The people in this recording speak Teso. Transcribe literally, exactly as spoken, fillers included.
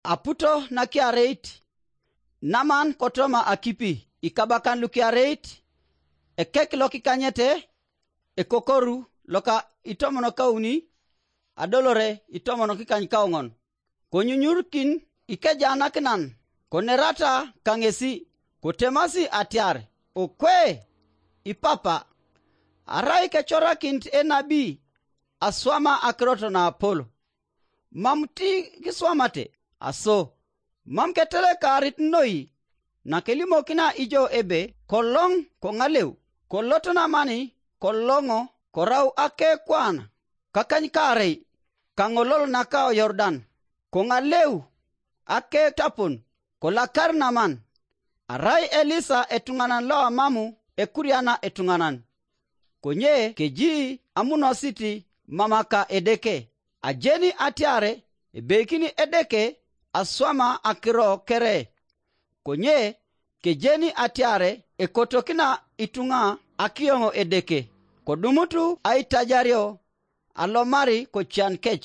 Aputo nakiareit, Naman kotoma akipi, ikabakan lukiareit, ekek lokikanyete, ekokoru loka itomon kauni, adolore itomon kikany kaoŋon. Konyunyurkin ikejanakinan, konerata kaŋesi, kotemasi atiar, okwe, ipapa, arai kecorakinit enabi aswama akirot naapol. Mam ti kiswamate, aso, mam ketelekarit noi, nakelimokina ijo ebe koloŋ koŋaleu, kolot namani koloŋo korau akekwana kakanykaarei kaŋolol naka Yordan, koŋaleu aketapon, kolakar naman, arai Elisa etuŋanan loamamu ekuriana etuŋanan. Konye keji amunosit mamaka Edeke. Ajeni atiare ebeikini Edeke aswama akiro kere. Konye kejeni atiare ekotokina ituŋa akiyoŋo Edeke, kodumutu aitajario alomari kocian kec.